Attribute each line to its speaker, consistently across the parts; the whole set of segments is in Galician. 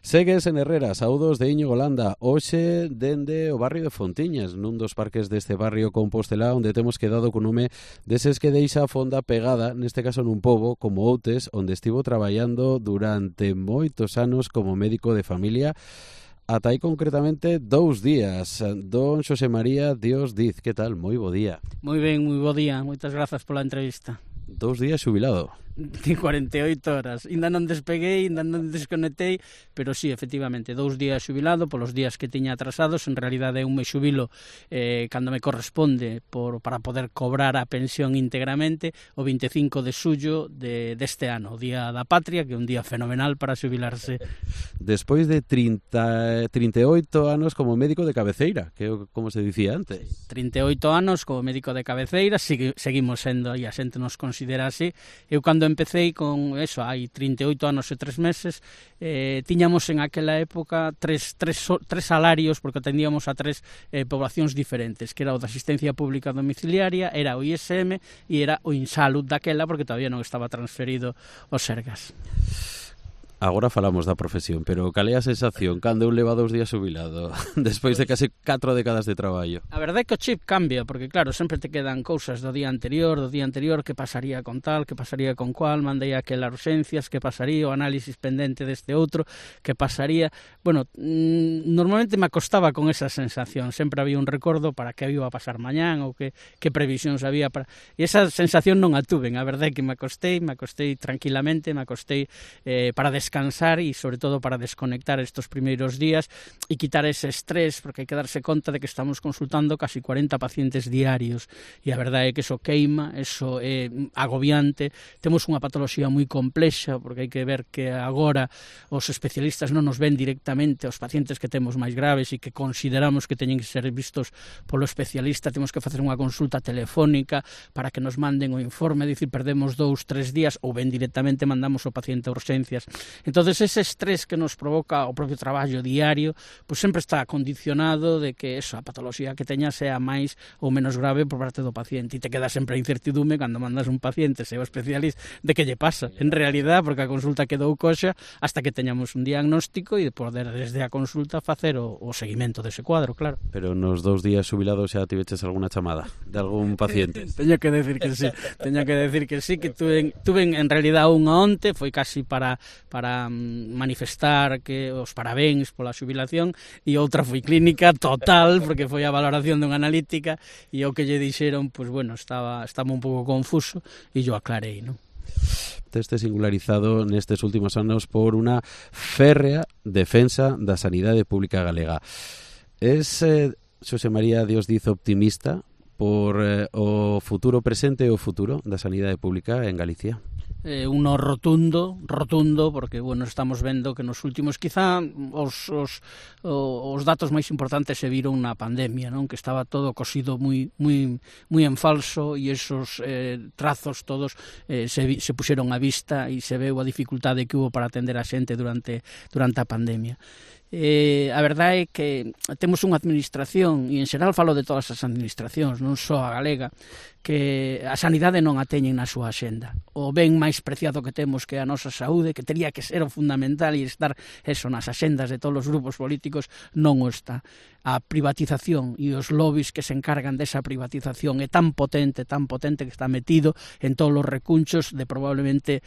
Speaker 1: Segues en Herrera, saúdos de Íñigo Landa, hoxe dende o barrio de Fontiñas, nun dos parques deste barrio compostelá, onde temos quedado con nome deses que deixa a fonda pegada, neste caso nun pobo como Outes, onde estivo traballando durante moitos anos como médico de familia, ata aí concretamente 2 días. Don Xosé María Dios Diz, que tal? Moi bo día.
Speaker 2: Moi ben, moi bo día, moitas grazas pola entrevista.
Speaker 1: 2 días xubilado.
Speaker 2: 48 horas, ainda non despeguei, ainda non desconectei, pero sí, efectivamente, 2 días xubilado polos días que tiña atrasados. En realidade eu me xubilo cando me corresponde para poder cobrar a pensión íntegramente o 25 de xullo deste ano, o Día da Patria, que é un día fenomenal para xubilarse.
Speaker 1: Despois de 38 anos como médico de cabeceira, que é como se dicía antes.
Speaker 2: 38 anos como médico de cabeceira, seguimos sendo, e a xente nos considera así. Eu cando empecé con eso, hai 38 anos e 3 meses, tiñamos en aquela época tres salarios, porque atendíamos a 3 poblacións diferentes, que era o da asistencia pública domiciliaria, era o ISM e era o Insalud daquela, porque todavía non estaba transferido o Sergas.
Speaker 1: Agora falamos da profesión, pero cal é a sensación cando un leva 2 días xubilado despois de case 4 décadas de traballo?
Speaker 2: A verdade é que o chip cambia, porque claro, sempre te quedan cousas do día anterior, que pasaría con tal, que pasaría con cual, mandei aquelas urxencias, que pasaría, o análisis pendente deste outro, que pasaría. Bueno, normalmente me acostaba con esa sensación, sempre había un recordo para que iba a pasar mañán, ou que previsións había para... E esa sensación non a tuven, a verdade é que me acostei tranquilamente, para descansar e sobre todo para desconectar estos primeiros días e quitar ese estrés, porque hai que darse conta de que estamos consultando casi 40 pacientes diarios e a verdade é que eso queima, eso é agobiante. Temos unha patoloxía moi complexa, porque hai que ver que agora os especialistas non nos ven directamente aos pacientes que temos máis graves e que consideramos que teñen que ser vistos polo especialista. Temos que facer unha consulta telefónica para que nos manden o informe, dicir, perdemos 2-3 días, ou ben directamente mandamos o paciente a urxencias. Entonces ese estrés que nos provoca o propio traballo diario, pues sempre está condicionado de que a patoloxía que teña sea máis ou menos grave por parte do paciente, e te queda sempre a incertidume cando mandas un paciente seu especialista de que lle pasa en realidad, porque a consulta quedou coxa hasta que teñamos un diagnóstico e poder desde a consulta facer o seguimento dese cuadro, claro.
Speaker 1: Pero nos 2 días xubilados xa tiveches alguna chamada de algún paciente?
Speaker 2: Teño que decir que sí, que tuve en realidad unha onte, foi casi para manifestar que os parabéns pola xubilación, e outra foi clínica total, porque foi a valoración dunha analítica, e o que lle dixeron, pues bueno, estaba un pouco confuso, e yo aclarei, non?
Speaker 1: Teste singularizado nestes últimos anos por unha férrea defensa da sanidade pública galega. Es Xosé María Dios Diz optimista por o futuro presente e o futuro da sanidade pública en Galicia?
Speaker 2: Uno rotundo, porque, bueno, estamos vendo que nos últimos, quizá, os datos máis importantes se viron na pandemia, non? Que estaba todo cosido moi en falso, e esos trazos todos se puxeron á vista, e se veu a dificultade que hubo para atender a xente durante a pandemia. A verdade é que temos unha administración, e en xeral falo de todas as administracións, non só a galega, que a sanidade non a teñen na súa axenda. O ben máis preciado que temos, que é a nosa saúde, que tería que ser o fundamental e estar nas axendas de todos os grupos políticos, non o está. A privatización e os lobbies que se encargan desa privatización é tan potente que está metido en todos os recunchos de probablemente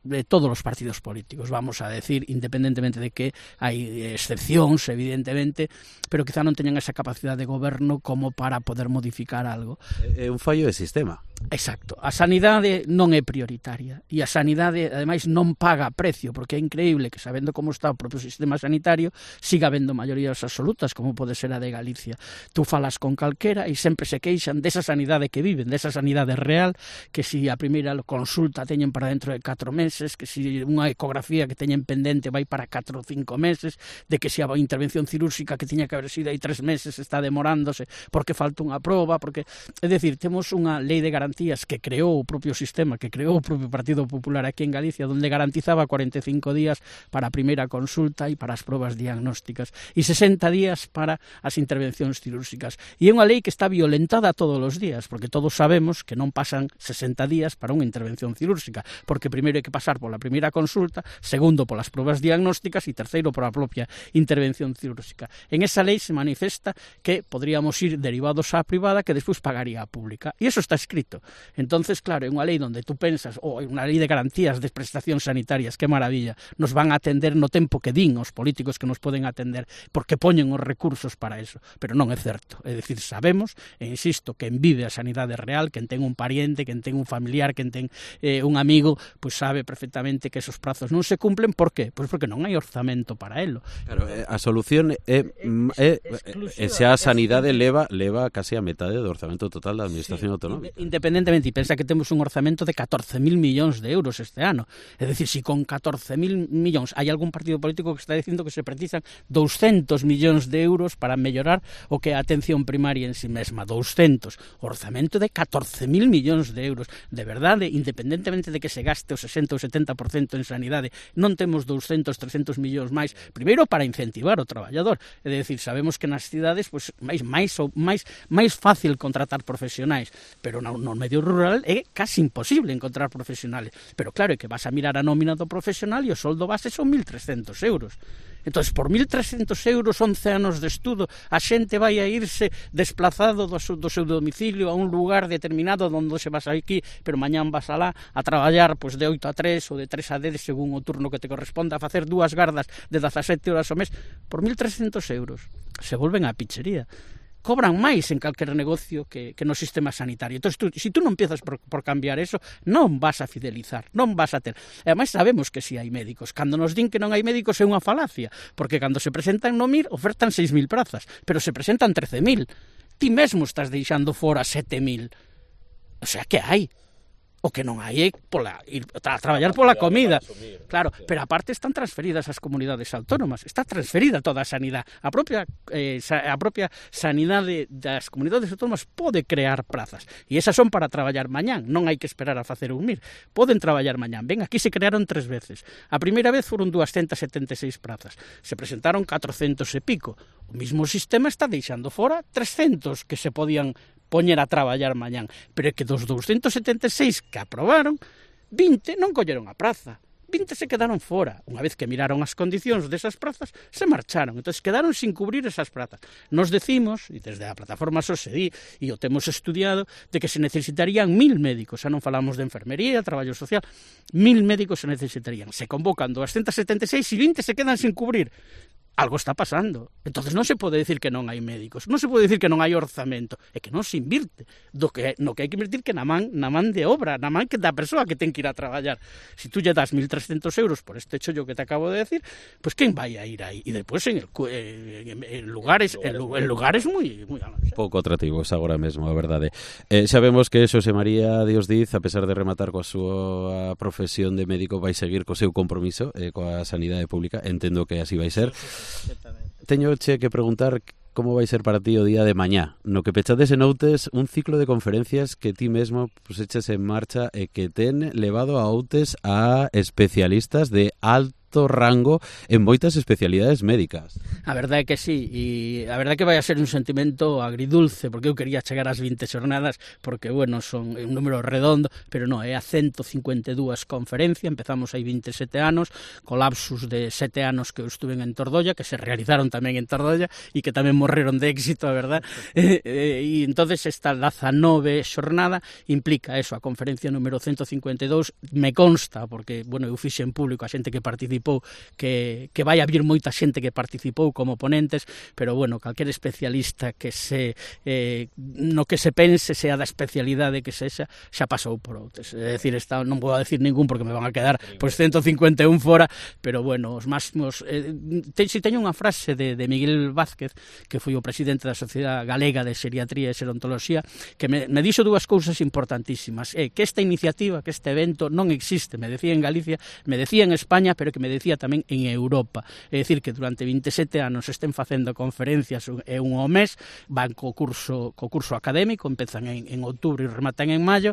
Speaker 2: de todos os partidos políticos, vamos a decir, independentemente de que hai excepcións, evidentemente, pero quizá non teñan esa capacidade de goberno como para poder modificar algo.
Speaker 1: É un fallo de sistema.
Speaker 2: Exacto. A sanidade non é prioritaria, e a sanidade, ademais, non paga precio, porque é increíble que, sabendo como está o propio sistema sanitario, siga habendo maiorías absolutas, como pode ser a de Galicia. Tú falas con calquera e sempre se queixan desa sanidade que viven, desa sanidade real, que si a primeira consulta teñen para dentro de 4 meses, que si unha ecografía que teñen pendente vai para 4 ou 5 meses, de que si a intervención cirúrxica que tiña que haber sido aí 3 meses está demorándose porque falta unha proba, porque, é dicir, temos unha lei de garantías que creou o propio sistema, que creou o propio Partido Popular aquí en Galicia, donde garantizaba 45 días para a primeira consulta e para as probas diagnósticas, e 60 días para as intervencións cirúrxicas. E é unha lei que está violentada todos os días, porque todos sabemos que non pasan 60 días para unha intervención cirúrxica, porque primeiro hai que pasar pasar pola primeira consulta, segundo polas probas diagnósticas e terceiro pola propia intervención cirúrxica. En esa lei se manifesta que podríamos ir derivados á privada que despois pagaría a pública. E iso está escrito. Entonces, claro, é unha lei onde tú pensas, é unha lei de garantías de prestacións sanitarias, que maravilla, nos van a atender no tempo que din os políticos que nos poden atender, porque poñen os recursos para eso, pero non é certo. É dicir, sabemos, e insisto, quen vive a sanidade real, quen ten un pariente, quen ten un familiar, quen ten un amigo, pois sabe perfectamente que esos prazos non se cumplen. Por qué? Pois porque non hai orzamento para elo.
Speaker 1: Claro, a solución é se a sanidade leva casi a metade do orzamento total da administración autonómica.
Speaker 2: Independentemente, e pensa que temos un orzamento de 14.000 millóns de euros este ano. É dicir, se con 14.000 millóns hai algún partido político que está dicindo que se precisan 200 millóns de euros para mellorar o que é a atención primaria en si mesma. 200. Orzamento de 14.000 millóns de euros. De verdade, independentemente de que se gaste o 60 ou 70% en sanidade, non temos 200, 300 millóns máis, primeiro para incentivar o traballador. É dicir, sabemos que nas cidades pois, máis fácil contratar profesionais, pero no medio rural é casi imposible encontrar profesionales. Pero claro, é que vas a mirar a nómina do profesional e o soldo base son 1.300 euros. Entón, por 1.300 euros, 11 anos de estudo, a xente vai a irse desplazado do seu domicilio a un lugar determinado onde se vas aquí, pero mañán vas alá a traballar pois, de 8 a 3 ou de 3 a 10 según o turno que te corresponda, a facer 2 gardas de 17 horas ao mes por 1.300 euros. Se volven á pichería. Cobran máis en calquer negocio que no sistema sanitario. Entón, se tú non empiezas por cambiar eso, non vas a fidelizar, non vas a ter. E ademais sabemos que si hai médicos. Cando nos din que non hai médicos é unha falacia, porque cando se presentan no MIR ofertan 6.000 prazas, pero se presentan 13.000. Ti mesmo estás deixando fora 7.000. O sea, que hai? O que non hai é ir a traballar pola comida. Claro, pero aparte están transferidas as comunidades autónomas, está transferida toda a sanidade. A propia sanidade das comunidades autónomas pode crear prazas, e esas son para traballar mañán, non hai que esperar a facer un MIR. Poden traballar mañán. Ben, aquí se crearon 3 veces. A primeira vez foron 276 prazas. Se presentaron 400 e pico. O mismo sistema está deixando fora 300 que se podían poñer a traballar mañán, pero é que dos 276 que aprobaron, 20 non colleron a praza, 20 se quedaron fora. Unha vez que miraron as condicións desas prazas, se marcharon, entón quedaron sin cubrir esas prazas. Nos decimos, e desde a plataforma SOSEDI, e o temos estudiado, de que se necesitarían 1.000 médicos, xa non falamos de enfermería, traballo social, 1.000 médicos se necesitarían. Se convocan 276 e 20 se quedan sin cubrir. Algo está pasando. Entonces non se pode decir que non hai médicos, non se pode decir que non hai orzamento, é que non se invirte no que hai que invertir que na man de obra, na man que da persoa que ten que ir a traballar. Se tú lle das 1.300 euros por este chollo que te acabo de decir, pues quen vai a ir aí? E depois en lugares moi
Speaker 1: pouco atractivos agora mesmo, a verdade. Sabemos que Xosé María Dios Diz, a pesar de rematar coa súa profesión de médico, vai seguir co seu compromiso coa sanidade pública. Entendo que así vai ser. Teñoche que preguntar como vai ser para ti o día de mañá, no que pechades en Outes un ciclo de conferencias que ti mesmo puseches en marcha e que ten levado a Outes a especialistas de alto rango en moitas especialidades médicas.
Speaker 2: A verdade é que sí, e a verdade é que vai a ser un sentimento agridulce, porque eu quería chegar ás 20 xornadas, porque, bueno, son un número redondo, pero non, é a 152 conferencias, empezamos hai 27 anos, colapsus de 7 anos que eu estuve en Tordolla, que se realizaron tamén en Tordolla, e que tamén morreron de éxito, a verdade, e entonces esta 19 xornada implica eso, a conferencia número 152, me consta, porque, bueno, eu fixe en público a xente que participou, que vai haber moita xente que participou como ponentes, pero bueno, calquer especialista que no que se pense, sea da especialidade que sexa, xa pasou por Outes. É dicir, non vou a decir ningún porque me van a quedar pois 151 fora, pero bueno, os máximos teño unha frase de Miguel Vázquez, que foi o presidente da Sociedade Galega de Xeriatría e Xerontoloxía, que me dixo dúas cousas importantísimas, que esta iniciativa, que este evento non existe, me decía en Galicia, me decía en España, pero que me decía tamén en Europa. É dicir, que durante 27 anos estén facendo conferencias un ao mes, van co curso académico, empezan en outubro e rematan en maio,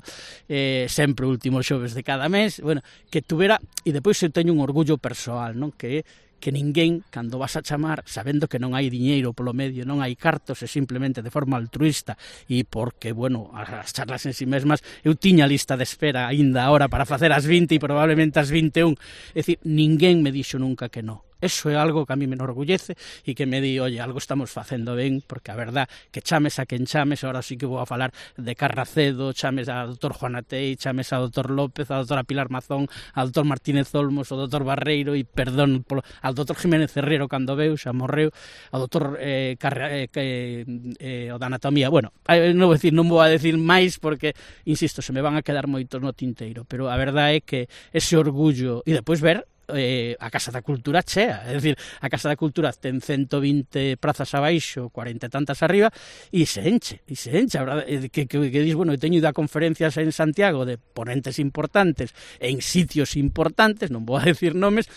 Speaker 2: sempre o último xoves de cada mes, bueno, que tuvera, e depois eu teño un orgullo persoal, non? Que que ninguén, cando vas a chamar, sabendo que non hai diñeiro polo medio, non hai cartos, e simplemente de forma altruista, e porque, bueno, as charlas en si mesmas, eu tiña lista de espera aínda ahora para facer as 20 e probablemente as 21, é dicir, ninguén me dixo nunca que non. Eso é algo que a mí me enorgullece e que me di, oye, algo estamos facendo ben, porque a verdad que chames a quen chames, ahora sí que vou a falar de Carracedo, chames a doutor Juan Atei, chames a doutor López, a doutora Pilar Mazón, a doutor Martínez Olmos, o doutor Barreiro, e perdón, al doutor Jiménez Herrero cando veu, xa morreu, ao doutor o da anatomía, bueno, non vou a decir máis porque, insisto, se me van a quedar moitos no tinteiro, pero a verdade é que ese orgullo, e depois ver a Casa da Cultura chea, é dicir, a Casa da Cultura ten 120 prazas abaixo, 40 e tantas arriba, e se enche, a verdade, que dis, bueno, teño ido a conferencias en Santiago de ponentes importantes, en sitios importantes, non vou a decir nomes,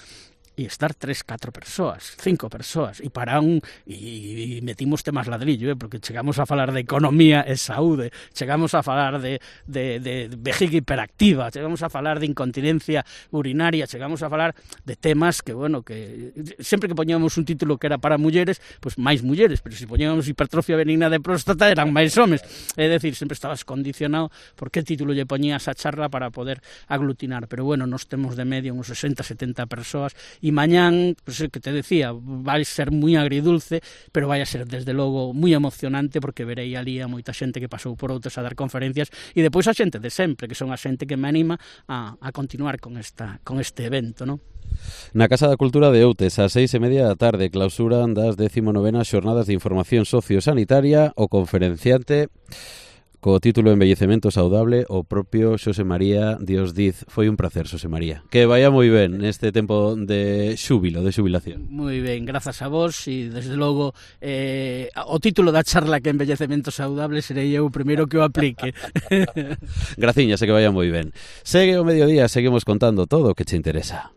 Speaker 2: e estar 3, 4 persoas, 5 persoas, e para e metimos temas ladrillo, porque chegamos a falar de economía e saúde, chegamos a falar de vejiga hiperactiva, chegamos a falar de incontinencia urinaria, chegamos a falar de temas que, bueno, que sempre que poñíamos un título que era para mulleres, pois máis mulleres, pero se poñíamos hipertrofia benigna de próstata eran máis homes, é dicir, sempre estabas condicionado por que título lle poñías a charla para poder aglutinar, pero bueno, nos temos de medio uns 60, 70 persoas, e mañán, pues, que te decía, vai ser moi agridulce, pero vai a ser desde logo moi emocionante, porque verei ali a moita xente que pasou por outros a dar conferencias, e depois a xente de sempre, que son a xente que me anima a continuar con este evento, non?
Speaker 1: Na Casa da Cultura de Outes, ás 6:30 da tarde, clausuran das 19ª Xornadas de Información Sociosanitaria, o conferenciante co título Envellecemento Saudable, o propio Xosé María Dios Diz. Foi un placer, Xosé María. Que vaya moi ben neste tempo de xúbilo, de xubilación.
Speaker 2: Moi ben, grazas a vos, e desde logo o título da charla que Envellecemento Saudable serei eu o primeiro que o aplique.
Speaker 1: Graciñas, e que vaya moi ben. Segue o mediodía, seguimos contando todo o que che interesa.